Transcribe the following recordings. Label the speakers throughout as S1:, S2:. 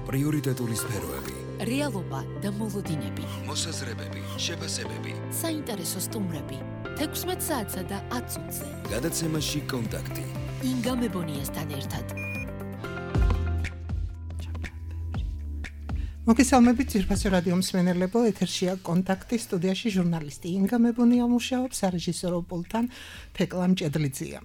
S1: პრიორიტეტული სფეროები,
S2: რეალობა და მოლოდინები,
S1: მოსაზრებები, შეფასებები,
S2: საინტერესო სტუმრები, 16 საათსა და 10 წუთზე.
S1: გადაცემაში კონტაქტი.
S2: ინგა მებონიასთან ერთად.
S3: მოგესალმებით ძირფასო რადიო მსმენელებო, ეთერშია კონტაქტი, სტუდიაში ჟურნალისტი ინგა მებონია მუშაობს, სარეჟისორო პულტთან თეკლა მჭედლიძეა.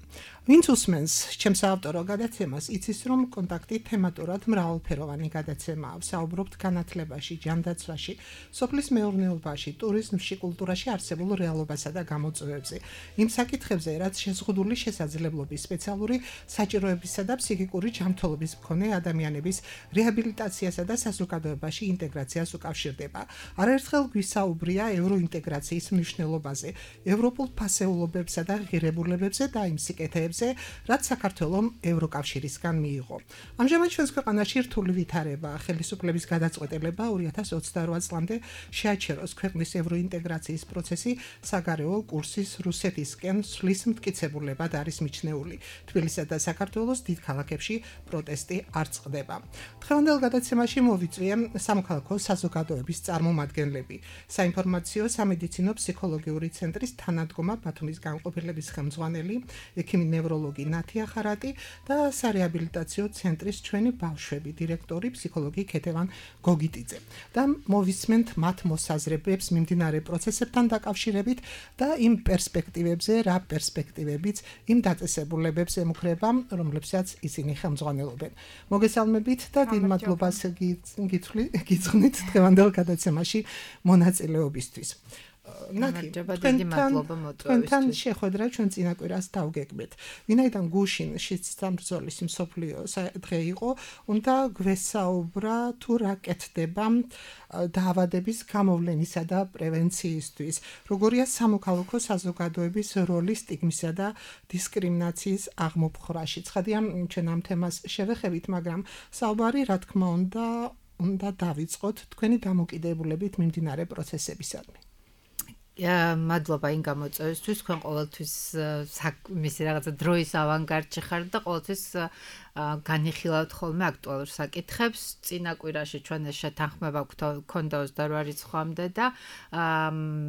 S3: ვინც უსმენს ჩემს ავტორო გადაცემას, იცის რომ კონტაქტი თემატურად მრავალფეროვანი გადაცემაა. ვსაუბრობთ განათლებაში, ჯანდაცვაში, სოფლის მეურნეობაში, ტურიზმში, კულტურაში არსებულ რეალობასა და გამოწვევებზე. იმ საკითხებზე, რაც შეზღუდული შესაძლებლობის, სპეციალური საჭიროებისა და ფსიქიკური ჯანმრთელობის მქონე ადამიანების რეაბილიტაციასა და საზოგადოებაში ინტეგრაციას უკავშირდება. არაერთხელ გვისაუბრია ევროინტეგრაციის მნიშვნელობაზე, ევროპულ ფასეულობებსა და ღირებულებებზე და იმ სიკეთეებზე, რაც საქართველოს ევროკავშირისგან მიიღო. ამჟამად ჩვენს ქვეყანაში რთული ვითარება, ხელისუფლების გადაწყვეტილება 2028 წლამდე შეაჩეროს ქვეყნის ევროინტეგრაციის პროცესი საგარეო კურსის რუსეთისკენ სვლის მტკიცებულებად არის მიჩნეული. თბილისსა და საქართველოს დიდ ქალაქებში პროტესტი არ წყდება. დღევანდელ გადაცემაში მოვიწვიე სამოქალაქო საზოგადოების წარმომადგენლები, საინფორმაციო სამედიცინო ფსიქოლოგიური ცენტრის თანადგომა ბათუმის განყოფილების ხელმძღვანელი, ექიმი ნევროლოგი ნათია ხარატი და სარეაბილიტაციო ცენტრის ჩვენი ბავშვები დირექტორი ფსიქოლოგი ქეთევან გოგიტიძე. და მოვისმენთ მათ მოსაზრებებს მიმდინარე პროცესებთან დაკავშირებით და იმ პერსპექტივებზე, რა პერსპექტივებიც იმ დაწესებულებებს ემუქრება, რომლებსაც ისინი ხელმძღვანელობენ. მოგესალმებით და დიდ მადლობას გიძღვნით დღევანდელ გადაცემაში მონაწილეობისთვის. ნათი, თქვენთან შეხვედრა ჩვენ წინა კვირას დავგეგმეთ. ვინაიდან გუშინ შიდსამბრძოლის მსოფლიო დღე იყო, უნდა გვესაუბრა თუ რა კეთდება დაავადების გამოვლენისა და პრევენციისთვის. როგორია სამოქალაქო საზოგადოების როლი სტიგმისა და დისკრიმინაციის აღმოფხვრაში. ცხადია, ჩვენ ამ თემას შევეხებით, მაგრამ საუბარი, რა თქმა უნდა დავიწყოთ თქვენი დამოკიდებულებით მიმდინარე პროცესებისადმი.
S4: მადლობა იმ გამოწვევისთვის, თქვენ ყოველთვის მისი რაღაცა დროის ავანგარდში ხართ და ყოველთვის განიხილავთ ხოლმე აქტუალურ საკითხებს. წინა კვირაში ჩვენ ეს შეთანხმება გქონდა 28 რიცხვამდე და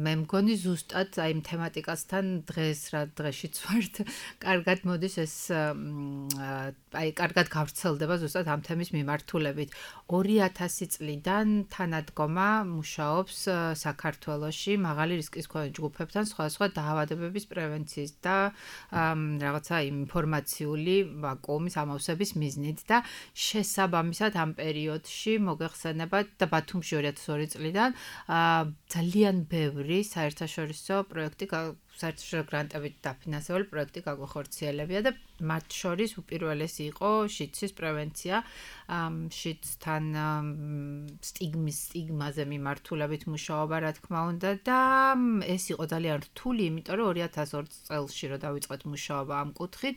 S4: მე მგონი ზუსტად აი იმ თემატიკასთან დღეს რა დღეშიც ვართ, კარგად მოდის ეს აი კარგად გავრცელდება ზუსტად ამ თემის მიმართულებით. 2000 წლიდან თანადგომა მუშაობს საქართველოში მაღალი რისკის მქონე ჯგუფებთან სხვადასხვა დაავადებების პრევენციის და რაღაცა ინფორმაციული ვაკუუმის ამოვსების მიზნით და შესაბამისად ამ პერიოდში მოგეხსენებათ და ბათუმში 2002 წლიდან ძალიან ბევრი საერთაშორისო პროექტი საერთაშორისო გრანტებით დაფინანსებული პროექტი გაგვახორციელებია და მათ შორის უპირველესი იყო შიდსის პრევენცია, შიდსთან სტიგმაზე მიმართულებით მუშაობა, რა თქმა უნდა და ეს იყო ძალიან რთული, იმიტომ რომ 2002 წელს რომ დავიწყეთ მუშაობა ამ კუთხით,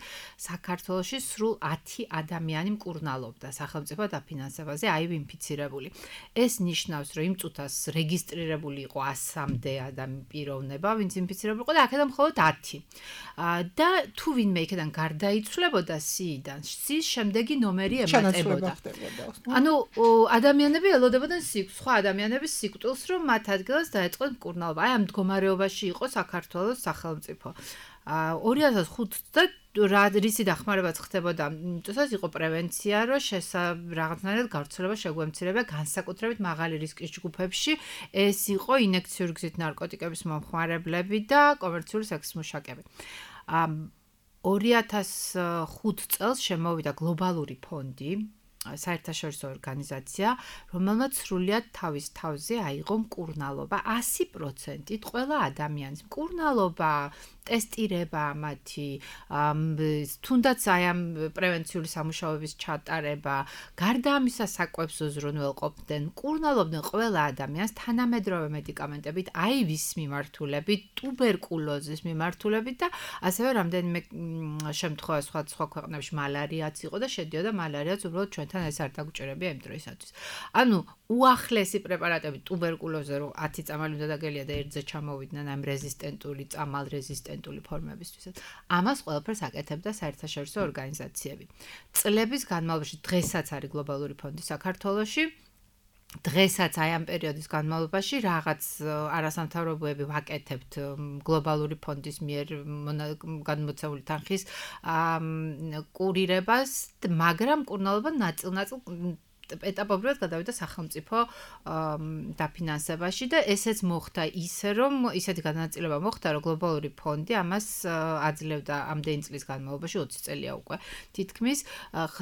S4: საქართველოში სრულ 10 ადამიანი მკურნალობდა სახელმწიფო დაფინანსებაზე, აი ინფიცირებული. ეს ნიშნავს, რომ იმ წუთას რეგისტრირებული იყო 100-მდე პიროვნება, ვინც ინფიცირებული იყო და აქედან მხოლოდ 10. და თუ ვინმე იქიდან გარდაიცვლებოდა სიიდან, სის შემდეგი ნომერი ემატებოდა. ანუ ადამიანები ელოდებოდნენ სხვა ადამიანების სიკვდილს, რომ მათ ადგილას დაეწყოთ მკურნალობა. აი ამ მდგომარეობაში იყო საქართველოს სახელმწიფო. 2005 და რისი დახმარებაც ხდებოდა, თუსაც იყო პრევენცია, რომ რაღაცნაირად გავრცელება შეგვემცირება განსაკუთრებით მაღალი რისკის ჯგუფებში, ეს იყო ინექციური გზით ნარკოტიკების მომხმარებლები და კომერციული სექსის მუშაკები. 2005 წელს შემოვიდა გლობალური ფონდი, საერთაშორისო ორგანიზაცია, რომელმაც სრულიად თავის თავზე აიღო მკურნალობა 100%-ით ყველა ადამიანის მკურნალობა, ტესტირება მათი, თუნდაც აი ამ პრევენციული სამუშაოების ჩატარება, გარდა ამისა საკვებს უზრუნველყოფდნენ, მკურნალობდნენ ყველა ადამიანს თანამედროვე მედიკამენტებით, აივის მიმართულებით, ტუბერკულოზის მიმართულებით და ასევე რამდენიმე შემთხვევა სხვა ქვეყნებში მალარიაც იყო და შედიოდა მალარიაც უბრალოდ ჩვენთან რომელთან ეს არ დაგუჭირებია იმ დროისათვის. ანუ უახლესი პრეპარატები ტუბერკულოზზე რომ 10 წამალი უნდა დაგელია და ერთზე ჩამოვიდნენ ამ რეზისტენტული, წამალ რეზისტენტული ფორმებისთვისაც. ამას ყველაფერს აკეთებდა საერთაშორისო ორგანიზაციები. წლების განმავლობაში დღესაც არის გლობალური ფონდი საქართველოში. დღესაც აი ამ პერიოდის განმავლობაში რაღაც არასამთავრობოები ვაკეთებთ გლობალური ფონდის მიერ განმოცემული თანხის კურირებას, მაგრამ კურნალობა ნაწილ-ნაწილ ეტაპობრივად გადავიდა სახელმწიფო დაფინანსებაში და ესეც მოხდა ისე რომ ისეთი განაწილება მოხდა რომ გლობალური ფონდი ამას აძლევდა ამდენი წლის განმავლობაში 20 წელია უკვე თითქმის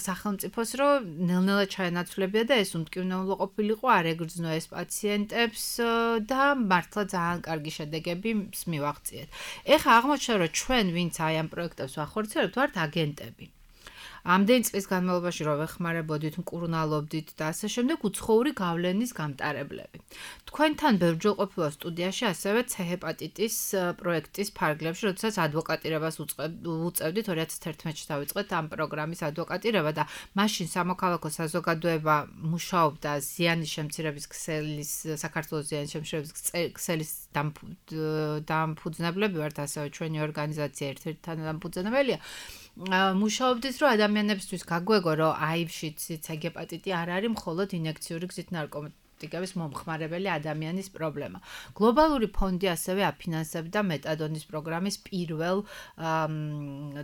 S4: სახელმწიფოს რომ ნელ-ნელა ჩაენაცვლებია და ეს უმტკივნეულო ყოფილიყო არ ეგრძნო ეს პაციენტებს და მართლა ძალიან კარგი შედეგები მივაღწიეთ. ეხლა აღმოჩნდა რომ ჩვენ ვინც აი ამ პროექტებს ვახორციელებთ ვართ აგენტები. ამდენი წლის განმავლობაში რომ ვეხმარებოდით, მკურნალობდით და ასე შემდეგ უცხოური გავლენის გამტარებლები. თქვენთან ბევრჯერ ყოფილა სტუდიაში ასევე C-ჰეპატიტის პროექტის ფარგლებში, როდესაც ადვოკატირებას უწევდით 2011-ში დავიწყეთ ამ პროგრამის ადვოკატირება და მაშინ სამოქალაქო საზოგადოება მუშაობდა ზიანის შემცირების ქსელის საქართველოს ზიანის შემცირების ქსელის დამფუძნებლები ვართ ასევე ჩვენი ორგანიზაცია ერთ-ერთი თანადამფუძნებელია. მუშაობდით რომ ადამიანებისთვის გაგვეგო რომ აივშიც C-ჰეპატიტი არ არის მხოლოდ ინიექციური გზით ნარკოტიკების მომხმარებელი ადამიანის პრობლემა. გლობალური ფონდი ასევე აფინანსებდა მეტადონის პროგრამის პირველ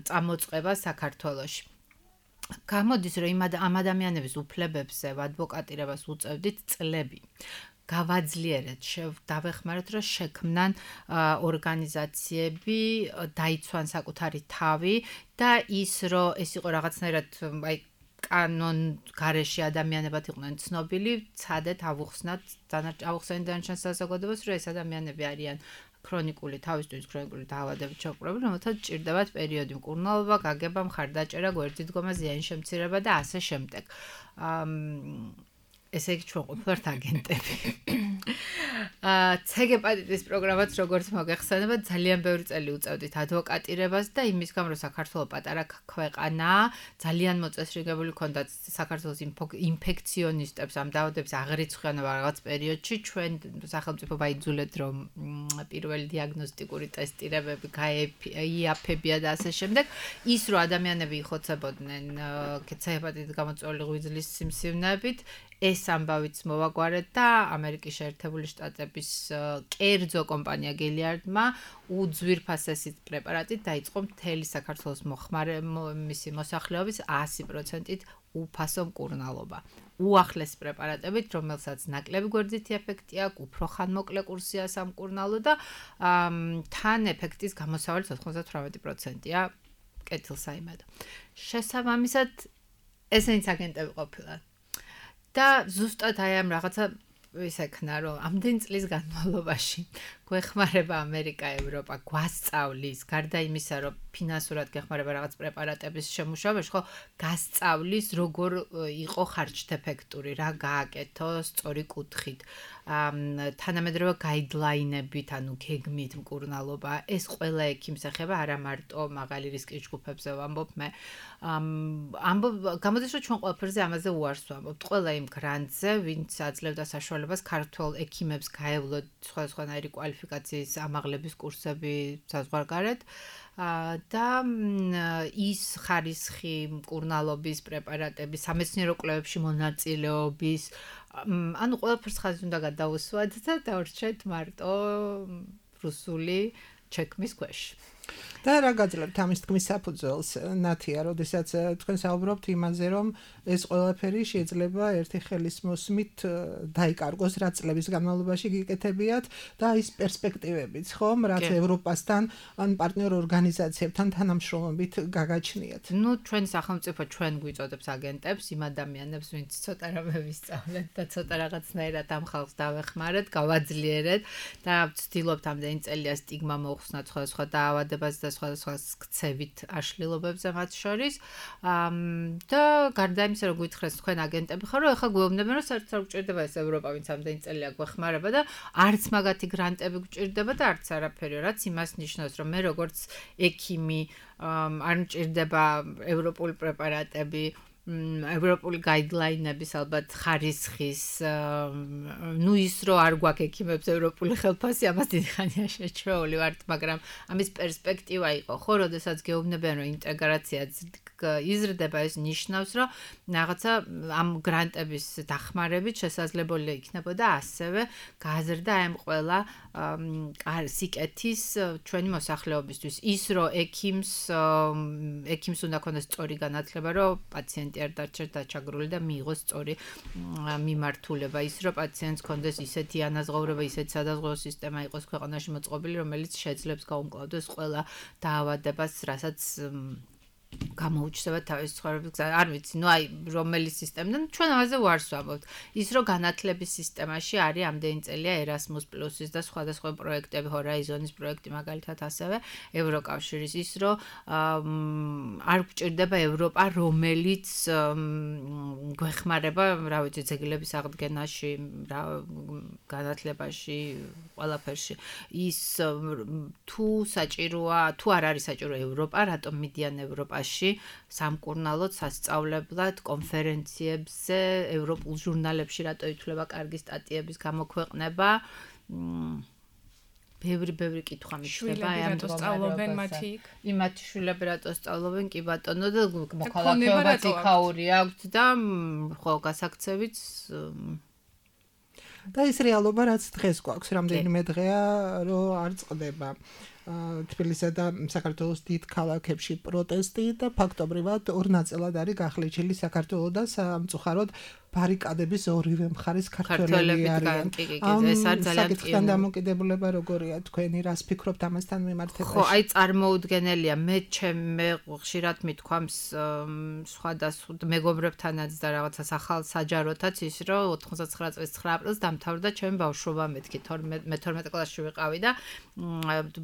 S4: წამოწყებას საქართველოში. გამოდის რომ ამ ადამიანების უფლებებზე ადვოკატირებას უწევდით წლები. გავაძლიერეთ, დავეხმაროთ, რომ შექმნან ორგანიზაციები, დაიცვან საკუთარი თავი და ის, რომ ეს იყო რაღაცნაირად აი კანონ გარეშე ადამიანებად იყვნენ ცნობილი, ცადეთ ავუხსნათ დანარჩენ საზოგადოებას, რომ ეს ადამიანები არიან ქრონიკული თავისთვის ქრონიკული დაავადებით შეყრობილი, რომელთაც ჭირდებათ პერიოდი მკურნალობა, გაგება, მხარდაჭერა, გვერდით დგომა, ზიანის შემცირება და ასე შემდეგ. ესე იგი ჩვენ ყოფილვართ აგენტები. C-ჰეპატიტის პროგრამაც როგორც მოგეხსენება ძალიან ბევრი წელი უწევდით ადვოკატირებას და იმის გამო რომ საქართველოს პატარა ქვეყანაა, ძალიან მოწესრიგებული ჰქონდათ საქართველოს ინფექციონისტებს ამ დაავადების აღრიცხვიანობა რაღაც პერიოდში ჩვენ სახელმწიფო ვაიძულეთ რომ პირველი დიაგნოსტიკური ტესტირებები გაიაფებია და ასე შემდეგ. ის რომ ადამიანები იხოცებოდნენ C-ჰეპატიტის გამოწვეული ღვიძლის სიმსივნეებით ეს ამბავიც მოვაგვარეთ და ამერიკის შეერთებული შტატების კერძო კომპანია Gilead-მა უძვირფასესი პრეპარატით დაიწყო მთელი საქართველოს მისი მოსახლეობის 100%-ით უფასო მკურნალობა. უახლესი პრეპარატებით, რომელსაც ნაკლები გვერდითი ეფექტი აქვს, უფრო ხანმოკლე კურსია სამკურნალო და თან ეფექტის გამოსავალიც 98%-ია კეთილსაიმედო. შესაბამისად, ესენიც აგენტები ყოფილან. და ზუსტად აი ამ რაღაცა ისექნა რომ ამდენ წლის განმავლობაში გვეხმარება ამერიკა, ევროპა, გვასწავლის, გარდა იმისა, რომ ფინანსურად გეხმარება რაღაც პრეპარატების შემუშავებაში, ხო, გასწავლის, როგორ იყო ხარჯთეფექტური, რა გააკეთო სწორი კუთხით. თანამედროვე გაიდლაინებით, ანუ გეგმით მკურნალობა, ეს ყველა ექიმს ეხება, არა მარტო მაღალი რისკის ჯგუფებზე ვამბობ მე. გამოდის რომ ჩვენ ყველაფერზე ამაზე უარს ვამბობთ. ყველა იმ გრანტზე, ვინც აძლევდა საშუალებას ქართველ ექიმებს გაევლოთ სხვადასხვანაირი კვალიფიკაციის ამაღლების კურსები საზღვარგარეთ და ის ხარისხი მკურნალობის პრეპარატების სამეცნიერო კვლევებში მონაწილეობის ანუ ყველაფერს ხაზი უნდა გადაუსვათ და დავრჩეთ მარტო რუსული ჩექმის ქვეშ. და რა გაძლევთ ამის თქმის საფუძველს, ნათია, როდესაც თქვენ საუბრობთ იმაზე, რომ ეს ყველაფერი შეიძლება ერთი ხელის მოსმით დაიკარგოს, რა წლების განმავლობაში გიკეთებიათ და ის პერსპექტივებიც, ხომ, რაც ევროპასთან ან პარტნიორ ორგანიზაციებთან თანამშრომლობით გაგაჩნიათ. ნუ ჩვენ სახელმწიფო ჩვენ გვიწოდებს აგენტებს, იმ ადამიანებს, ვინც ცოტა რამე ვისწავლეთ და ცოტა რაღაცნაირად ამ ხალხს დავეხმარეთ, გავაძლიერეთ და ვცდილობთ ამდენი წელია სტიგმა მოუხსნათ სხვადასხვა დაავადებას და სხვადასხვა ქცევით აშლილობებზე მათ შორის და გარდა იმისა რომ გითხრეს თქვენ აგენტები ხარ რომ ეხლა გვეუბნებიან რომ საერთოდ არ გჭირდება ეს ევროპა ვინც ამდენი წელია გვეხმარება და არც მაგათი გრანტები გჭირდება და არც არაფერი რაც იმას ნიშნავს რომ მე როგორც ექიმი არ მჭირდება ევროპული პრეპარატები ევროპული გაიდლაინების ალბათ ხარისხის ნუ ის რომ არ გვაქვს ექიმებს ევროპული ხელფასი ამას დიდი ხანია შეჩვეული ვართ მაგრამ ამის პერსპექტივა იყო ხო როდესაც გეუბნებიან რომ ინტეგრაცია იზრდება ეს ნიშნავს რომ რაღაცა ამ გრანტების დახმარებით შესაძლებელი იქნებოდა ასევე გააზრდა ამ ყველა სიკეთის ჩვენი მოსახლეობისთვის ის რომ ექიმს უნდა ქონდეს სწორი განათლება რომ პაციენტი არ დარჩეს დაჩაგრული და მიიღოს სწორი მიმართულება ის რომ პაციენტს ქონდეს ისეთი ანაზღაურება ისეთი სადაზღვევო სისტემა იყოს ქვეყანაში მოწყობილი რომელიც შეძლებს გაუმკლავდეს ყველა დაავადებას რასაც გამოუჩნდება თავის ცხოვრების არ ვიცი ნუ აი რომელი სისტემიდან ჩვენ ამაზე ვარს ვამბობთ ის რომ განათლების სისტემაში არის ამდენი წელია Erasmus Plus-ის და სხვადასხვა პროექტები Horizon-ის პროექტი მაგალითად ასევე ევროკავშირის ის რომ არ გვჭირდება ევროპა რომელიც გვეხმარება რა ვიცი ძეგლების აღდგენაში განათლებაში ყველაფერში ის თუ საჭიროა თუ არ არის საჭირო ევროპა რატომ მიდიან ევროპაში სამკურნალოდ სასწავლებლად კონფერენციებზე ევროპულ ჟურნალებში რატო ითვლება კარგი სტატიების გამოქვეყნება ბევრი კითხვა მიჩნდება ამ
S5: სწავლობენ მათი
S4: იმათი შვილები რატო სწავლობენ კი ბატონო და მოქალაქეობაც იქაური აქვს და ხო გასაქცევიც
S3: და ის რეალობა რაც დღეს გვაქვს რამდენიმე დღეა რომ არ წყდება თბილისსა და საქართველოს დიდ ქალაქებში პროტესტი და ფაქტობრივად ორ ნაწილად არის გახლეჩილი საქართველოს და სამწუხაროდ ბარიკადების ორივე მხარეს ქართველები არიან.
S4: ეს არის ძალიან
S3: საკითხთან დამოკიდებულება როგორია თქვენი რას ფიქრობთ ამასთან მიმართებაში?
S4: ხო, აი წარმოუდგენელია. მე ხშირად მithქვამს სხვადასხვა მეგობრებთანაც და რაღაცას ახალ საჯაროთაც ის რომ 99 წლის 9 აპრილს დამთავრდა ჩემი ბავშვობა მეთქი 12 კლასში ვიყავი და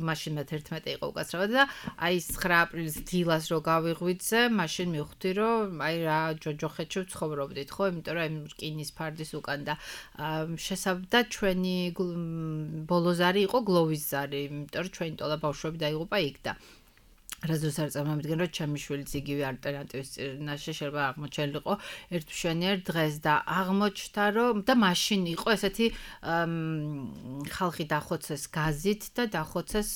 S4: მაშინ მე 11 იყო უკაცრავად და აი 9 აპრილის დილას რო გავიღვიძე, მაშინ მივხვდი რომ აი რა ჯოჯოხეთში ვცხოვრობდით, ხო, იმიტომ რომ იმ რკინის ფარდის უკან და შესაბამისად ჩვენი ბოლოზარი იყო გლოვის ზარი, იმიტომ რომ ჩვენი ტოლა ბავშვები დაიღუპა იქ და რაზეც არ წარმოვიდგენ რომ ჩემი შვილიც იგივე ალტერნატივის წინაშე შეიძლება აღმოჩენილიყო ერთ მშვენიერ დღეს და აღმოჩნდა რომ და მაშინ იყო ესეთი ხალხი დახოცეს გაზით და დახოცეს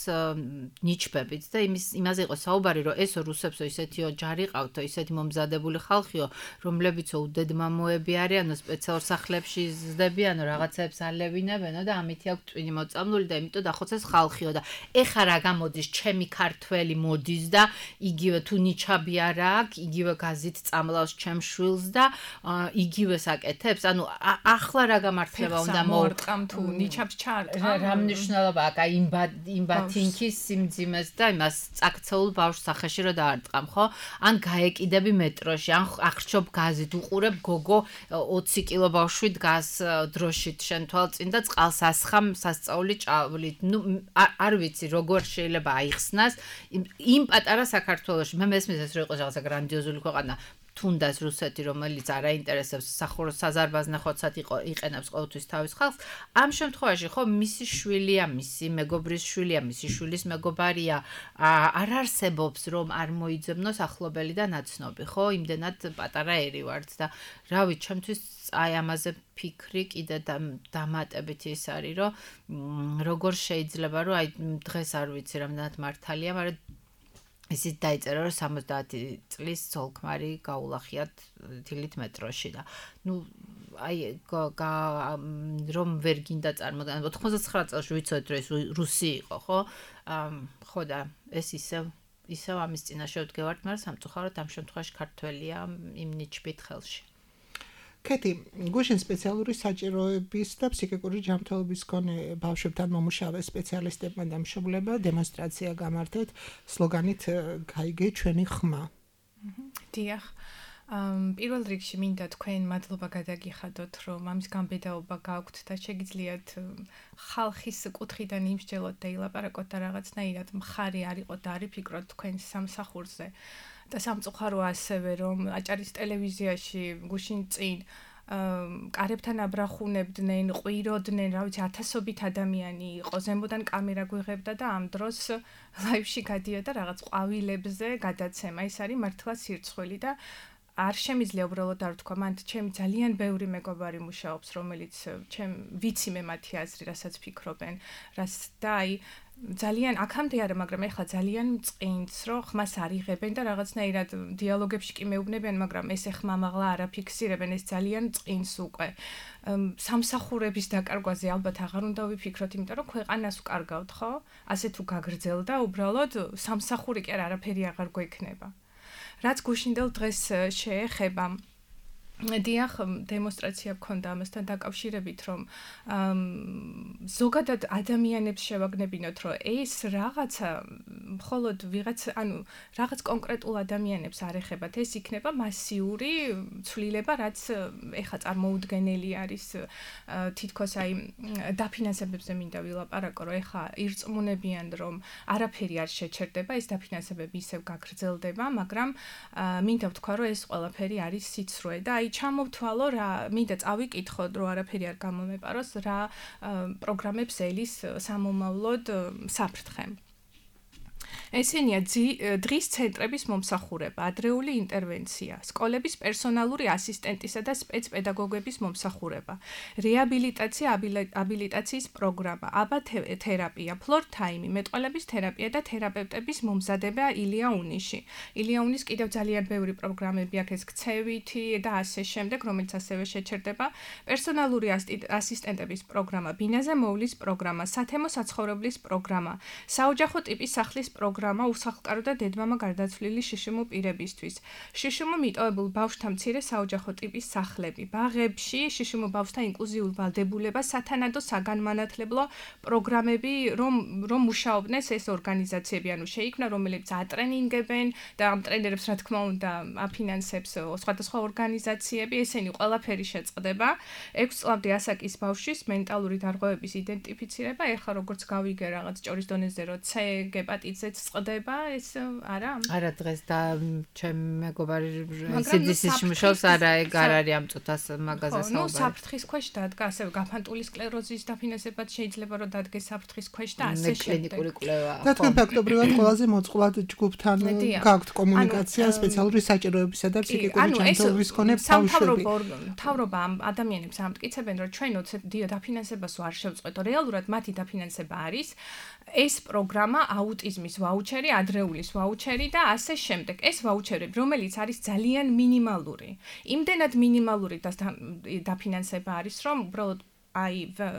S4: ნიჩბებით და იმაზე იყო საუბარი რომ ესო რუსებსო ისეთი ოჯარი ყავთო ისეთი მომზადებული ხალხიო რომლებიცო უდედმამოები არიანო სპეციალურ სახლებში ზრდებიანო რაღაცებს ალევინებენო და ამითი აქვს ტვინი მოწამლული და იმიტომ დახოცეს ხალხიო და ეხა რა გამოდის ჩემი ქართველი მოდი და იგივე თუ ნიჩაბი არ აქვს, იგივე გაზით წამლავს ჩემ შვილს და იგივე საკეთებს. ანუ ახლა რა გამართლება უნდა
S5: მოვარტყამ თუ ნიჩაბს ჩაარტყამ.
S4: რა მნიშვნელობა აქვს აი იმ ბათინქის სიმძიმეს და იმას წაქცეულ ბავშვს სახეში რომ დაარტყამ, ხო? ან გაეკიდები მეტროში, ან აღრჩობ გაზით, უყურებ გოგო 20 კილო ბავშვი დგას დროშით შენ თვალწინ და წყალს ასხამ სასწაული ჭავლით. ნუ არ ვიცი როგორ შეიძლება აიხსნას იმ პატარა საქართველოში მე მესმის ეს რომ იყოს რაღაცა გრანდიოზული ქვეყანა თუნდაც რუსეთი რომელიც არ აინტერესებს საზარბაზნე ხოცად იყენებს ყოველთვის თავის ხალხს ამ შემთხვევაში ხო მისი შვილია მისი მეგობრის შვილია მისი შვილის მეგობარია არ არსებობს რომ არ მოიძებნოს ახლობელი და ნაცნობი ხო იმდენად პატარა ერი ვართ და რავი ჩემთვის აი ამაზე ფიქრი კიდე დამატებით ის არის რომ როგორ შეიძლება რომ აი დღეს არ ვიცი რამდენად მართალია მაგრამ ისიც დაიწერა რომ 70 წლის ძოლქმარი გაულახიათ დილით მეტროში და ნუ აი რომ ვერ გინდა წარმოდან 99 წელს ვიცოდეთ რომ ეს რუსი იყო ხო ხო და ეს ისევ ამის წინაშე ვდგევართ მაგრამ სამწუხაროდ ამ შემთხვევაში ქართველია იმ ნიჩბით ხელში
S3: კეთი, გუშინ სპეციალური საჭიროების და ფსიქიკური ჯანმრთელობის მქონე ბავშვებთან მომუშავე სპეციალისტებმა და მშობლებმა დემონსტრაცია გამართეთ სლოგანით გაიგე ჩვენი ხმა.
S5: დიახ. პირველ რიგში მინდა თქვენ მადლობა გადაგიხადოთ, რომ ამის გამბედაობა გაქვთ და შეგიძლიათ ხალხის კუთხიდან იმსჯელოთ და ილაპარაკოთ და რაღაცნაირად მხარი არ იყოთ და არ იფიქროთ თქვენ სამსახურზე. და სამწუხარო ასევე რომ აჭარის ტელევიზიაში გუშინ წინ კარებთან აბრახუნებდნენ, ყვიროდნენ, რა ვიცი, ათასობით ადამიანი იყო, ზემოდან კამერა გვიღებდა და ამ დროს ლაივში გადიოდა რაღაც ყვავილებზე გადაცემა. ეს არის მართლა სირცხვილი და არ შემიძლია უბრალოდ არ ვთქვა, მან ჩემი ძალიან ბევრი მეგობარი მუშაობს, რომელიც ვიცი მე მათი აზრი, რასაც ფიქრობენ, და აი ძალიან აქამდე არა, მაგრამ ეხლა ძალიან მწყინს, რომ ხმას არიღებენ და რაღაცნაირად დიალოგებში კი მეუბნებიან, მაგრამ ეს ეხმა მაღლა არ აფიქსირებენ, ეს ძალიან მწყინს უკვე. სამსახურების დაკარგვაზე ალბათ აღარ უნდა ვიფიქროთ, იმიტომ რომ ქვეყანას ვკარგავთ, ხო? ასე თუ გაგრძელდა, უბრალოდ სამსახური კი არაფერი აღარ გვექნება. რაც გუშინდელ დღეს შეეხება დიახ, დემონსტრაცია გქონდა ამასთან დაკავშირებით, რომ ზოგადად ადამიანებს შევაგნებინოთ, რომ ეს რაღაცა მხოლოდ რაღაც კონკრეტულ ადამიანებს არ ეხებათ, ეს იქნება მასიური ცვლილება, რაც ეხლა წარმოუდგენელი არის თითქოს აი დაფინანსებებზე მინდა ვილაპარაკო, რომ ეხლა ირწმუნებიან, რომ არაფერი არ შეჩერდება, ეს დაფინანსებები ისევ გაგრძელდება, მაგრამ მინდა ვთქვა, რომ ეს ყველაფერი არის სიცრუე და ჩამოვთვალო რა, მინდა წავიკითხოთ, რომ არაფერი არ გამომეპაროს, რა პროგრამებს ელის სამომავლოდ საფრთხე. ესენია დღის ცენტრების მომსახურება, ადრეული ინტერვენცია, სკოლების პერსონალური ასისტენტისა და სპეცპედაგოგების მომსახურება, რეაბილიტაცია, აბილიტაციის პროგრამა, აბა თერაპია, ფლორ თაიმი, მეტყველების თერაპია და თერაპევტების მომზადება ილიაუნიში. ილიაუნის კიდევ ძალიან ბევრი პროგრამები აქვს, ეს ქცევითი და ასე შემდეგ, რომელიც ასევე შეჩერდება, პერსონალური ასისტენტების პროგრამა, ბინაზე მოვლის პროგრამა, სათემო საცხოვრებლის პროგრამა, საოჯახო ტიპის სახლის პროგრამა უსახლკარო და დედმამა გარდაცვლილი შიშიმო პირებისთვის. შიშიმო მიტოვებულ ბავშვთა მცირე საოჯახო ტიპის სახლები, ბაღებში შიშიმო ბავშვთა ინკლუზიურ ვალდებულება, სათანადო საგანმანათლებლო პროგრამები, რომ მუშაობდნენ ეს ორგანიზაციები, ანუ შეიქმნა, რომელიც ატრენინგებენ და ამ ტრენერებს რა თქმა უნდა აფინანსებს სხვადასხვა ორგანიზაციები, ესენი ყველაფერი შეწყდება. 6 წლამდე ასაკის ბავშვის მენტალური დარღვევების იდენტიფიცირება, ეხლა როგორც გავიგე რაღაც ჭორის დონეზე, რომ C გეპატიტზეც წყდება, ეს არა?
S4: არა, დღეს და ჩემ მეგობარი CDC-ში მუშაობს, არა, ეგ არ არის ამ წუთას მაგაზე საუბარი.
S5: ნუ საფრთხის ქვეშ დადგა, ასევე გაფანტული სკლეროზის დაფინანსებაც შეიძლება რომ დადგეს საფრთხის ქვეშ და ასე შემდეგ.
S4: კლინიკური კვლევა.
S3: და თქვენ ფაქტობრივად ყველაზე მოწყვლად ჯგუფთან გაქვთ კომუნიკაცია, სპეციალური საჭიროებისა და ფსიქიკური ჯანმრთელობის მქონე ბავშვები.
S5: მთავრობა ამ ადამიანებს ამტკიცებენ, რომ ჩვენ დაფინანსებას არ შევწყვეტო, რეალურად მათი დაფინანსება არის ეს პროგრამა აუტიზმის ვაუჩერი, ადრეულის ვაუჩერი და ასე შემდეგ. ეს ვაუჩერები, რომელიც არის ძალიან მინიმალური. იმდენად მინიმალური დაფინანსება არის, რომ უბრალოდ აი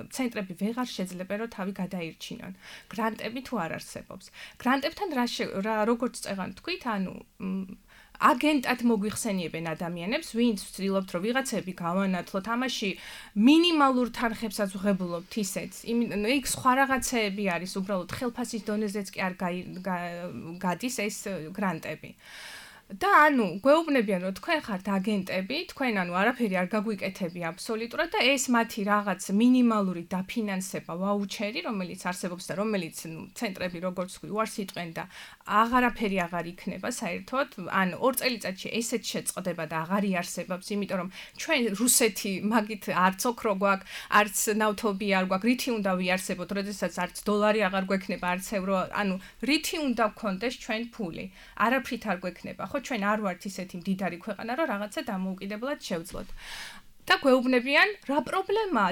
S5: ცენტრები ვეღარ შეძლებენ რომ თავი გადაირჩინონ. გრანტები თუ არ არსებობს. გრანტებთან როგორც წეღან თქვით, ანუ აგენტად მოგვიხსენიებენ ადამიანებს, ვინც ვცდილობთ რომ ვიღაცები გავანათლოთ, ამაში მინიმალურ თანხებსაც ვღებულობთ ისეც. იქ სხვა რაღაცეები არის, უბრალოდ ხელფასის დონეზეც კი არ გადის ეს გრანტები. და ანუ გვეუბნებიან რომ თქვენ ხართ აგენტები, თქვენ ანუ არაფერი არ გაგვიკეთები აბსოლუტურად და ეს მათი რაღაც მინიმალური დაფინანსება ვაუჩერი, რომელიც არსებობს და რომელიც ცენტრები როგორც ვთქვი, უარს იტყვენ და აღარაფერი აღარ იქნება საერთოდ, ან 2 წელიწადში ესეც შეწყდება და აღარ იარსებობს, იმიტომ რომ ჩვენ რუსეთი მაგით არც ოქრო გვაქვს, არც ნავთობი არ გვაქვს, რითი უნდა ვიარსებოთ, როდესაც არც დოლარი აღარ გვექნება, არც ევრო, ანუ რითი უნდა გქონდეს ჩვენ ფული. არაფრით არ გვექნება, ხო? ჩვენ არ ვართ ისეთი მდიდარი ქვეყანა, რომ რაღაცა დამოუკიდებლად შევძლოთ. და გვეუბნებიან, რა პრობლემაა,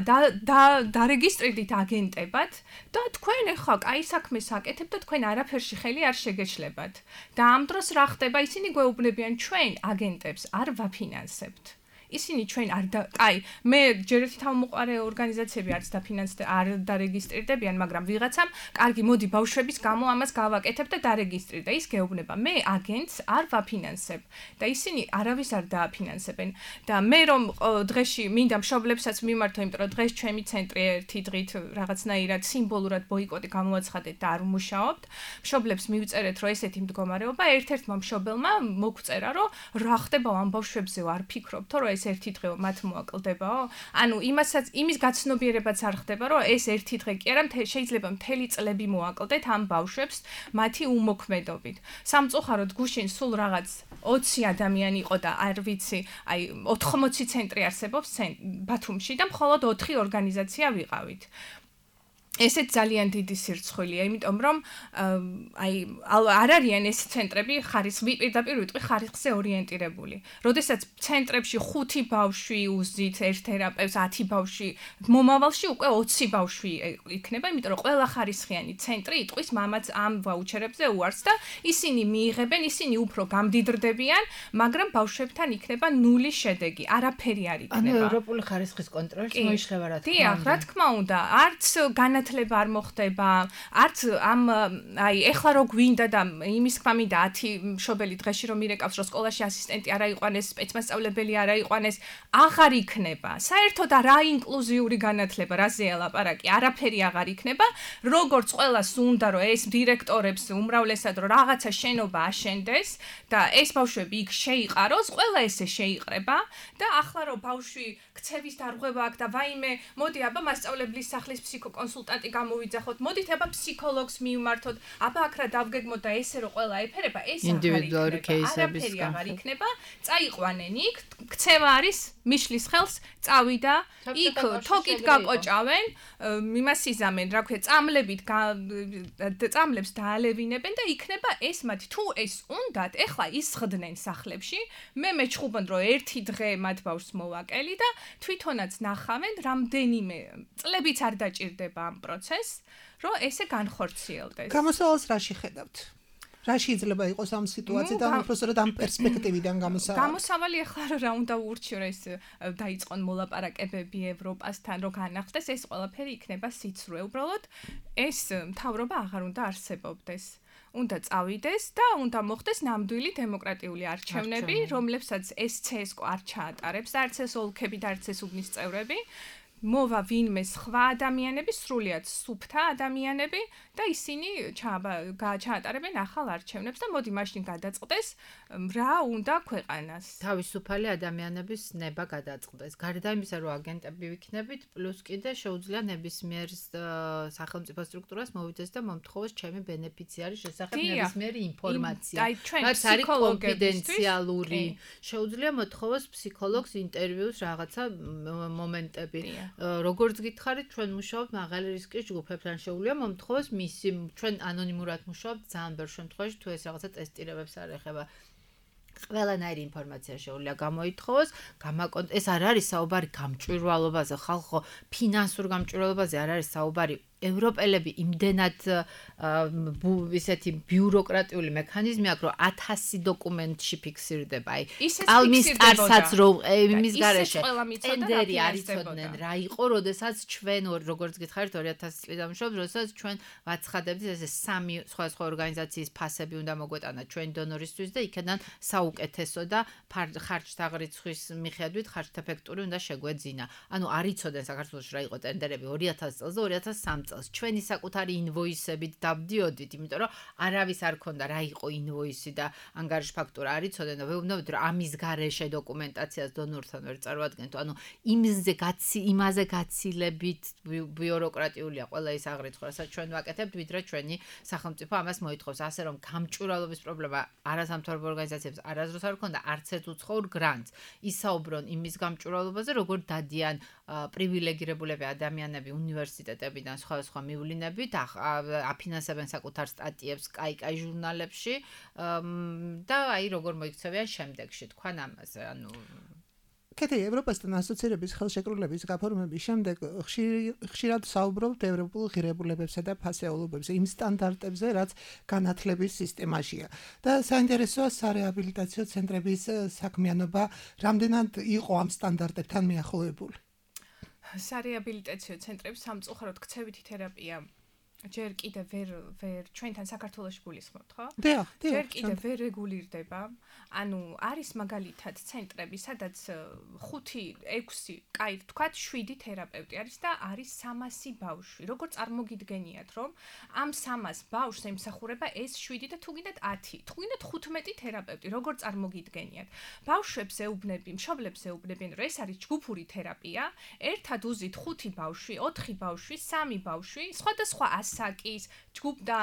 S5: დარეგისტრირდით აგენტებად და თქვენ ახლა კაი საქმეს აკეთებთ და თქვენ არაფერში ხელი არ შეგეშლებათ. და ამ დროს რა ხდება, ისინი გვეუბნებიან, ჩვენ აგენტებს არ ვაფინანსებთ. ისინი ჩვენ მე ჯერ ერთი თავმოყარე ორგანიზაციები არც არ დარეგისტრირდებიან, მაგრამ ვიღაცამ, კარგი, მოდი ბავშვების გამო ამას გავაკეთებ და დარეგისტრირდა. ის გეუბნება, მე აგენტს არ ვაფინანსებ და ისინი არავის არ დააფინანსებენ. და მე რომ დღეში მინდა მშობლებსაც მიმართო, იმიტომ რომ დღეს ჩემი ცენტრი ერთი დღით რაღაცნაირად სიმბოლურად ბოიკოტი გამოვაცხადეთ და არ ვმუშაობთ. მშობლებს მივწერეთ, რომ ესეთი მდგომარეობა, ერთ-ერთმა მშობელმა მოგვწერა, რომ რა ხდება ამ ბავშვებზე არ ფიქრობთ, რომ ეს ერთი დღე მათ მოაკლდებაო? ანუ იმის გაცნობიერებაც არ ხდება, რომ ეს ერთი დღე კი არა, შეიძლება მთელი წლები მოაკლდეთ ამ ბავშვებს მათი უმოქმედობით. სამწუხაროდ გუშინ სულ რაღაც 20 ადამიანი იყო და არ ვიცი, აი 80 ცენტრი არსებობს ბათუმში და მხოლოდ 4 ორგანიზაცია ვიყავით. ესეც ძალიან დიდი სირცხვილია, იმიტომ რომ არ არიან ეს ცენტრები პირდაპირ ვიტყვი ხარისხზე ორიენტირებული. როდესაც ცენტრებში 5 ბავშვი უზით ერთ თერაპევტს, 10 ბავშვი, მომავალში უკვე 20 ბავშვი იქნება, იმიტომ რომ ყველა ხარისხიანი ცენტრი იტყვის მამაც ამ ვაუჩერებზე უარს და ისინი მიიღებენ, ისინი უფრო გამდიდრდებიან, მაგრამ ბავშვებთან იქნება ნული შედეგი, არაფერი არ იქნება.
S4: ანუ ევროპული ხარისხის კონტროლს მოიშლება რა თქმა უნდა.
S5: დიახ, რა თქმა უნდა, არც განათლება არ მოხდება, არც ეხლა რო გვინდა და იმის თქმა მინდა 10 მშობელი დღეში რომ მირეკავს, რომ სკოლაში ასისტენტი არა იყვანეს, სპეცმასწავლებელი არა იყვანეს, აღარ იქნება. საერთოდ რა ინკლუზიური განათლება, რაზეა ლაპარაკი, არაფერი აღარ იქნება. როგორც ყველას უნდა რომ ეს დირექტორებს უმრავლესად რომ რაღაცა შენობა აშენდეს და ეს ბავშვები იქ შეიყაროს, ყველა ესე შეიყრება და ახლა რომ ბავშვი ქცევის დარღვევა აქვს და ვაიმე, მოდი აბა მასწავლებლის სახლის ფსიქოკონსულტანტი გამოვიძახოთ, მოდით აბა ფსიქოლოგს მივმართოთ, აბა აქ რა დავგეგმოთ და ესე რომ ყველა ეფერება, ეს
S4: ინდივიდუალური კეისების
S5: აღარ იქნება, წაიყვანენ იქ, ქცევა არის მიშლის ხელს, წავიდა, იქ თოკით გაკოჭავენ, იმას იზამენ, რა ქვია, წამლებს დაალევინებენ და იქნება ეს მათი, თუ ეს უნდათ, ეხლა ისხდნენ სახლებში, მე მეჩხუბობ რომ ერთი დღე მათ ბავშვს მოვაკელი და თვითონაც ნახავენ, რამდენიმე წლებიც არ დაჭირდება ამ პროცესს, რომ ესე განხორციელდეს.
S3: გამოსავალს რაში ხედავთ? რა შეიძლება იყოს ამ სიტუაციიდან, უბრალოდ ამ პერსპექტივიდან გამოსავალი?
S5: გამოსავალი ახლა რა უნდა ურჩიო ეს დაიწყონ მოლაპარაკებები ევროპასთან, რომ განახდეს, ეს ყველაფერი იქნება სიცრუე. უბრალოდ ეს მთავრობა აღარ უნდა არსებობდეს. უნდა წავიდეს და უნდა მოხდეს ნამდვილი დემოკრატიული არჩევნები, რომლებსაც ეს CSKO არ ჩაატარებს, არც ეს ოლქები და არც ეს უბნის წევრები. მოვა ვინმე სხვა ადამიანები, სრულიად სუფთა ადამიანები და ისინი ჩაატარებენ ახალ არჩევნებს და მოდი მაშინ გადაწყდეს რა უნდა ქვეყანას.
S4: თავისუფალი ადამიანების ნება გადაწყდეს. გარდა იმისა, რომ აგენტები ვიქნებით, პლუს კიდე შეუძლია ნებისმიერ სახელმწიფო სტრუქტურას მოვიდეს და მომთხოვოს ჩემი ბენეფიციარის შესახებ ნებისმიერი ინფორმაცია. რაც არის კონფიდენციალური. შეუძლია მოთხოვოს ფსიქოლოგს ინტერვიუს რაღაცა მომენტები. როგორც გითხარით, ჩვენ მუშაობთ მაღალი რისკის ჯგუფებთან, შეუძლია მომთხოვოს მისი, ჩვენ ანონიმურად მუშაობთ ძალიან ბევრ შემთხვევაში, თუ ეს რაღაცა ტესტირებებს არ ეხება. ყველანაირი ინფორმაცია შეუძლია გამოითხოვოს, ეს არ არის საუბარი გამჭვირვალობაზე, ხალხო ფინანსურ გამჭვირვალობაზე არ არის საუბარი. ევროპელები იმდენად ისეთი ბიუროკრატიული მექანიზმი აქვს, რომ 1000 დოკუმენტში ფიქსირდება. აი, პალმის სტარსაც რომ იმის გარეშე ტენდერი არ იცოდნენ რა იყო, როდესაც ჩვენ როგორც გითხარით 2000 წლიდან მუშაობთ, როდესაც ჩვენ ვაცხადებდით ესე 3 სხვადასხვა ორგანიზაციის ფასები უნდა მოგვეტანა ჩვენ დონორისთვის და იქიდან საუკეთესო და ხარჯთა რიცხვის მიხედვით ხარჯთა ფექტური უნდა შეგვეძინა. ანუ არ იცოდნენ საქართველოში რა იყო ტენდერები 2000 წელს და 2003 წელს ჩვენი საკუთარი ინვოისებით დავდიოდით, იმიტომ რომ არავის არ ქონდა რა იყო ინვოისი და ანგარიშ ფაქტურა არ იცოდნენ და ვეუბნებოდ რომ ამის გარეშე დოკუმენტაციას დონორთან ვერ წარმოადგენთ. ანუ იმაზე გაცილებით ბიუროკრატიულია ყველა ის აღრიცხვა, რასაც ჩვენ ვაკეთებთ, ვიდრე ჩვენი სახელმწიფო ამას მოითხოვს. ასე რომ გამჭვირვალობის პრობლემა არასამთავრობო ორგანიზაციებს არასდროს არ ქონდა, არც ერთ უცხოურ გრანტს. ისაუბრონ იმის გამჭვირვალობაზე, როგორ დადიან პრივილეგირებულები ადამიანები უნივერსიტეტებიდან სხვა მივლინებით, აფინანსებენ საკუთარ სტატიებს კაი ჟურნალებში და აი როგორ მოიქცევიან შემდეგში, თქვენ ამაზე, ანუ
S3: კეთილი, ევროპასთან ასოცირების ხელშეკრულების გაფორმების შემდეგ ხშირად საუბრობთ ევროპულ ღირებულებებსა და ფასეულობებზე, იმ სტანდარტებზე, რაც განათლების სისტემაშია. და საინტერესოა სარეაბილიტაციო ცენტრების საქმიანობა, რამდენად იყო ამ სტანდარტებთან მიახლოებული.
S5: სარეაბილიტაციო ცენტრები სამწუხაროდ ქცევითი თერაპია ჯერ კიდე ვერ ჩვენთან საქართველოში გულისხმობთ, ხო?
S3: დიახ.
S5: ჯერ კიდე ვერ რეგულირდება. ანუ არის მაგალითად ცენტრები, სადაც 5-6, კაი ვთქვათ, 7 თერაპევტი არის და არის 300 ბავშვი. როგორ წარმოგიდგენიათ, რომ ამ 300 ბავშვს ემსახურება ეს 7 და თუ გინდათ 10, თუ გინდათ 15 თერაპევტი, როგორ წარმოგიდგენიათ? ბავშვებს ეუბნები, მშობლებს ეუბნებიან, რომ ეს არის ჯგუფური თერაპია, ერთად უზით 5 ბავშვი, 4 ბავშვი, 3 ბავშვი, სხვადასხვა ასაკის ჯგუფ და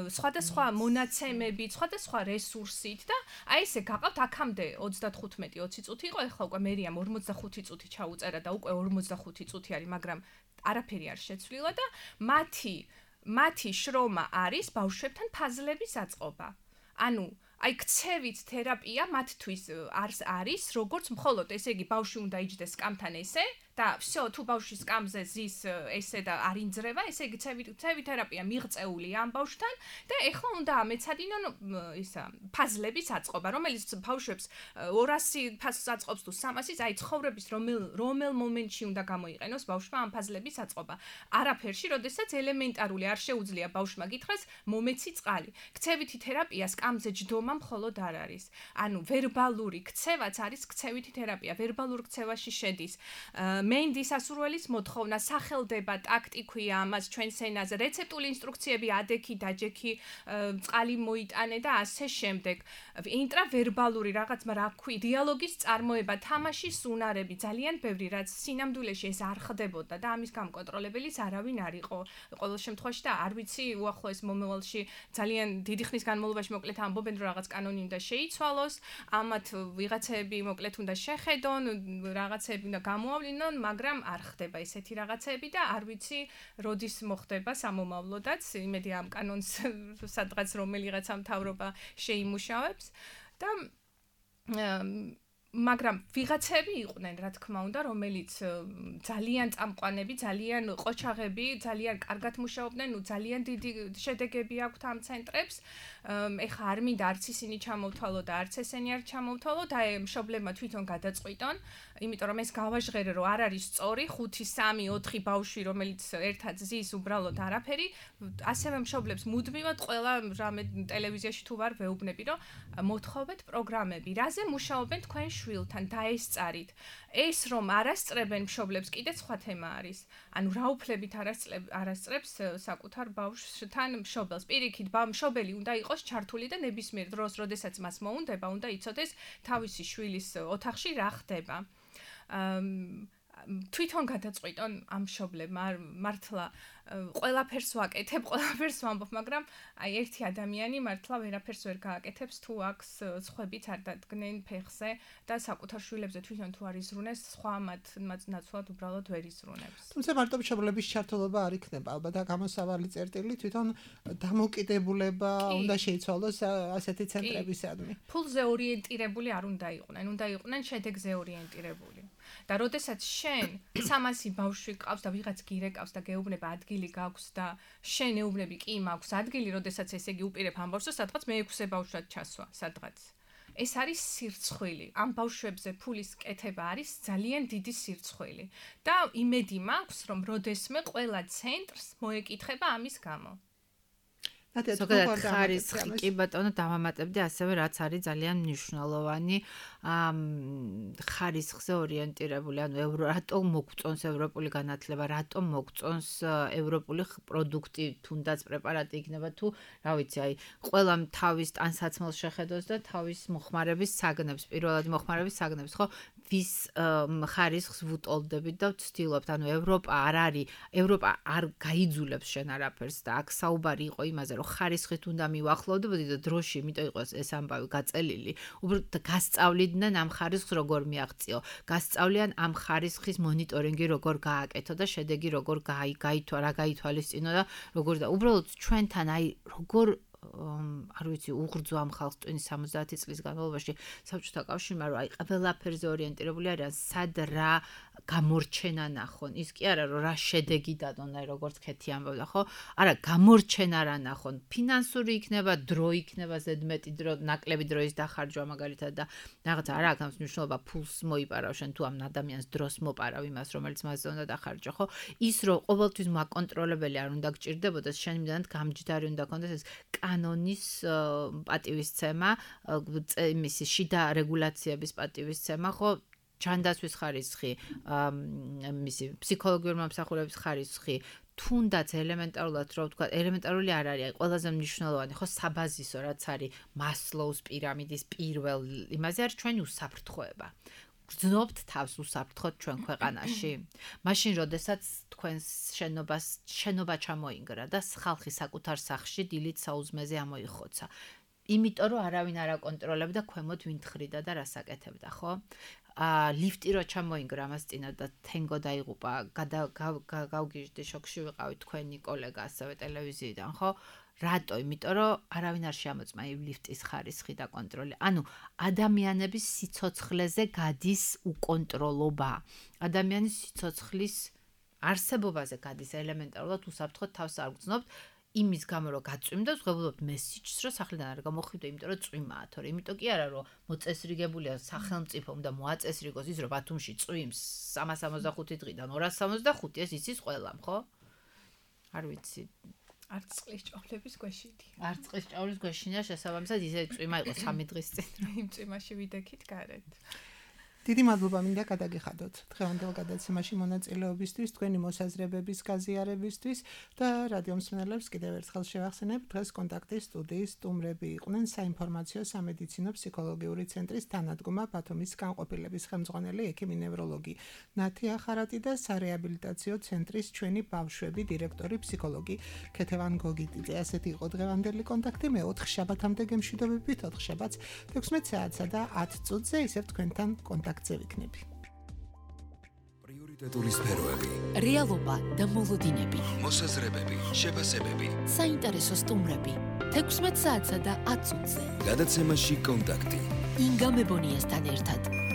S5: სხვადასხვა მონაცემებით, სხვადასხვა რესურსით და აი ესე გაყავთ აქამდე 35-20 წუთი იყო, ეხლა უკვე მერიამ 45 წუთი ჩაუწერა და უკვე 45 წუთი არის, მაგრამ არაფერი არ შეცვლილა და მათი შრომა არის ბავშვებთან ფაზლების აწყობა. ანუ აი ქცევით თერაპია მათთვის არის როგორც მხოლოდ ესე იგი ბავშვი უნდა იჯდეს სკამთან ესე და всё თუ ბავშვი სკამზე ზის ესე და არ ინძრევა ესე იგი ქცევით თერაპია მიღწეული ამ ბავშვთან და ეხლა უნდა ამეცადინონ ისა ფაზლების აწყობა რომელიც ბავშვებს 200 ფაზს აწყობს თუ 300-ის აი ცხოვრების რომელ მომენტში უნდა გამოიყენოს ბავშვმა ამ ფაზლების აწყობა არაფერში როდესაც ელემენტარული არ შეუძლია ბავშვმა გითხრას მომეცი წყალი ქცევითი თერაპია სკამზე ჯდომა მხოლოდ არ არის ანუ ვერბალური ქცევაც არის ქცევითი თერაპია ვერბალურ ქცევაში შედის მენდის ასურველის მოთხოვნა სახელდება ტაქტიქვია ამას ჩვენს ენაზე რეცეპტული ინსტრუქციები ადექი დაჯექი წყალი მოიტანე და ასე შემდეგ ინტრავერბალური რაღაც რა ქვი დიალოგის წარმოება თამაშის უნარები ძალიან ბევრი რაც სინამდვილეში ეს არ ხდებოდა და ამის გამკონტროლებელიც არავინ არ იყო ყოველ შემთხვევაში და არ ვიცი უახლოეს მომავალში ძალიან დიდი ხნის განმავლობაში მოკლედ ამბობენ რომ რაღაც კანონი უნდა შეიცვალოს ამათ ვიღაცები მოკლედ უნდა შეხედონ რაღაცები უნდა გამოავლინონ მაგრამ არ ხდება ესეთი რაღაცები და არ ვიცი როდის მოხდება სამომავლოდაც იმედი ამ კანონს სადღაც რომელიღაცა მთავრობა შეიმუშავებს და მაგრამ ვიღაცები იყვნენ რა თქმა უნდა რომელიც ძალიან წამყვანები ძალიან ყოჩაღები ძალიან კარგად მუშაობდნენ ნუ ძალიან დიდი შედეგები აქვთ ამ ცენტრებს ეხა არ მინდა არც ისინი ჩამოვთვალო და არც ესენი არ ჩამოვთვალო და მშობლებმა თვითონ გადაწყვიტონ იმიტომ რომ ეს გავაჟღერე რომ არ არის სწორი 5 3 4 ბავშვი რომელიც ერთად ზის უბრალოდ არაფერი ასევე მშობლებს მუდმივად ყველა რამე ტელევიზიაში თუ ვარ ვეუბნები რომ მოთხოვეთ პროგრამები რაზე მუშაობენ თქვენ შვილთან დაესწარით ეს რომ არასწრებენ მშობლებს კიდე სხვა თემა არის ანუ რა უფლებით არასწრებს საკუთარ ბავშვთან მშობელს პირიქით მშობელი უნდა იყოს ჩართული და ნებისმიერ დროს როდესაც მას მოუნდება უნდა იცოდეს თავისი შვილის ოთახში რა ხდება თვითონ გადაწყვიტონ ამ მშობლებმა მართლა ყველაფერს ვაკეთებ, ყველაფერს ვამბობ, მაგრამ აი ერთი ადამიანი მართლა ვერაფერს ვერ გააკეთებს თუ აქვს სხვებიც არ დადგნენ ფეხზე და საკუთარ შვილებზე თვითონ თუ არ იზრუნეს, სხვა მათ ნაცვლად უბრალოდ ვერ იზრუნებს.
S3: თუმცა მარტო მშობლების ჩართულობა არ იქნება, ალბათ გამოსავალი წერტილი თვითონ დამოკიდებულება უნდა შეიცვალოს ასეთი ცენტრებისადმი.
S5: ფულზე ორიენტირებული არ უნდა იყვნენ, უნდა იყვნენ შედეგზე ორიენტირებული. და როდესაც შენ 300 ბავშვი ყავს და ვიღაც გირეკავს და გეუბნება ადგილი გაქვს და შენ ეუბნები კი მაქვს ადგილი, როდესაც ესე იგი უპირებ ამ ბავშვს, სადღაც მე-6 ბავშვად ჩასვა, სადღაც. ეს არის სირცხვილი. ამ ბავშვებზე ფულის კეთება არის ძალიან დიდი სირცხვილი. და იმედი მაქვს, რომ როდესმე ყველა ცენტრს მოეკითხება ამის გამო.
S4: ზოგადად ხარისხი კი ბატონო დავამატებდი ასევე რაც არის ძალიან მნიშვნელოვანი ხარისხზე ორიენტირებული ანუ რატომ მოგწონს ევროპული განათლება რატომ მოგწონს ევროპული პროდუქტი თუნდაც პრეპარატი იქნება თუ რა ვიცი აი ყველამ თავის ტანსაცმელს შეხედოს და თავის მოხმარების საგნებს პირველად მოხმარების საგნებს ხო ვის ხარისხს ვუტოლდებით და ვცდილობთ ანუ ევროპა არ არის ევროპა არ გაიძულებს შენ არაფერს და აქ საუბარი იყო იმაზე რომ ხარისხით უნდა მივახლოვდებოდი და დროში იმიტომ იყოს ეს ამბავი გაწელილი უბრალოდ გასწავლიდნენ ამ ხარისხს როგორ მიაღწიო გასწავლიან ამ ხარისხის მონიტორინგი როგორ გააკეთო და შედეგი როგორ გაითვალისწინო და როგორ და უბრალოდ ჩვენთან აი როგორ არ ვიცი უღრძო ამ ხალხს 70 წლის განმავლობაში საბჭოთა კავშირმა რომ აი ყველაფერზე ორიენტირებული არიან სად რა გამორჩენა ნახონ ის კი არა რომ რა შედეგი დადონ აი როგორც ქეთი ამბობდა ხო არა გამორჩენა რა ნახონ ფინანსური იქნება დრო იქნება ზედმეტი დრო ნაკლები დროის დახარჯვა მაგალითად და რაღაცა არა აქვს მნიშვნელობა ფულს მოიპარავ შენ თუ ამ ადამიანს დროს მოპარავ იმას რომელიც მასზე უნდა დახარჯო ხო ის რომ ყოველთვის მაკონტროლებელი არ უნდა გჭირდებოდეს შენ იმდანად გამჯდარი უნდა კონდეს ეს კანონის პატივისცემა მისი შიდა რეგულაციების პატივისცემა ხო ჯანდაცვის ხარისხი მისი ფსიქოლოგიური მომსახურების ხარისხი თუნდაც ელემენტარულად რო ვთქვა ელემენტარული არ არის აი ყველაზე მნიშვნელოვანი ხო საბაზისო რაც არის მასლოუს პირამიდის პირველ იმაზე არის ჩვენი უსაფრთხოება გრძნობთ თავს უსაფრთხოდ ჩვენ ქვეყანაში. მაშინ, როდესაც თქვენს შენობა ჩამოინგრა და ხალხი საკუთარ სახლში დილით საუზმეზე ამოიხოცა. იმიტომ რომ არავინ არ აკონტროლებდა ქვემოთ ვინ თხრიდა და რას აკეთებდა, ხო? ლიფტი რო ჩამოინგრა მას წინა და თენგო დაიღუპა, გავგიჟდი, შოქში ვიყავი თქვენი კოლეგა ასევე ტელევიზიიდან, ხო? რატო? იმიტომ რომ არავინ არ შეამოწმა იმ ლიფტის ხარისხი და კონტროლი. ანუ ადამიანების სიცოცხლეზე გადის უკონტროლობა. ადამიანის სიცოცხლის არსებობაზე გადის ელემენტარულად უსაფრთხოდ თავს არ გრძნობთ. იმის გამო რომ გაწვიმდა, ვღებულობთ მესიჯს, რომ სახლიდან არ გამოხვიდო, იმიტომ რომ წვიმაა, თორე იმიტომ კი არა, რომ მოწესრიგებულია სახელმწიფო უნდა მოაწესრიგოს ის, რომ ბათუმში წვიმს 365 დღიდან 265, ეს იცის ყველამ, ხო? არ ვიცი.
S5: არც წყლის ჭავლების გვეშიდი.
S4: არც წყლის ჭავლის გვეშინია შესაბამისად ისე წვიმა იყო 3 დღის წინ.
S5: იმ წვიმაში ვიდექით გარეთ.
S3: დიდი მადლობა მინდა გადაგიხადოთ დღევანდელ გადაცემაში მონაწილეობისთვის, თქვენი მოსაზრებების გაზიარებისთვის და რადიო მსმენელებს კიდევ ერთხელ შევახსენებ, დღეს კონტაქტის სტუდიის სტუმრები იყვნენ საინფორმაციო სამედიცინო ფსიქოლოგიური ცენტრის თანადგომა ბათუმის განყოფილების ხელმძღვანელი ექიმი ნევროლოგი ნათია ხარატი და სარეაბილიტაციო ცენტრის ჩვენი ბავშვები დირექტორი ფსიქოლოგი ქეთევან გოგიტიძე. ასეთი იყო დღევანდელი კონტაქტი. მე 4 შაბათამდე გემშვიდობებით 4 შაბათს 16 საათსა და 10 წუთზე ისევ თქვენთან კონტაქტზე ვიქნები.
S1: პრიორიტეტული სფეროები,
S2: რეალობა და მოლოდინები,
S1: მოსაზრებები, შეფასებები.
S2: საინტერესო სტუმრები 16 საათსა და 10 წუთზე.
S1: გადაცემაში კონტაქტი.
S2: ინგა მებონიასთან ერთად.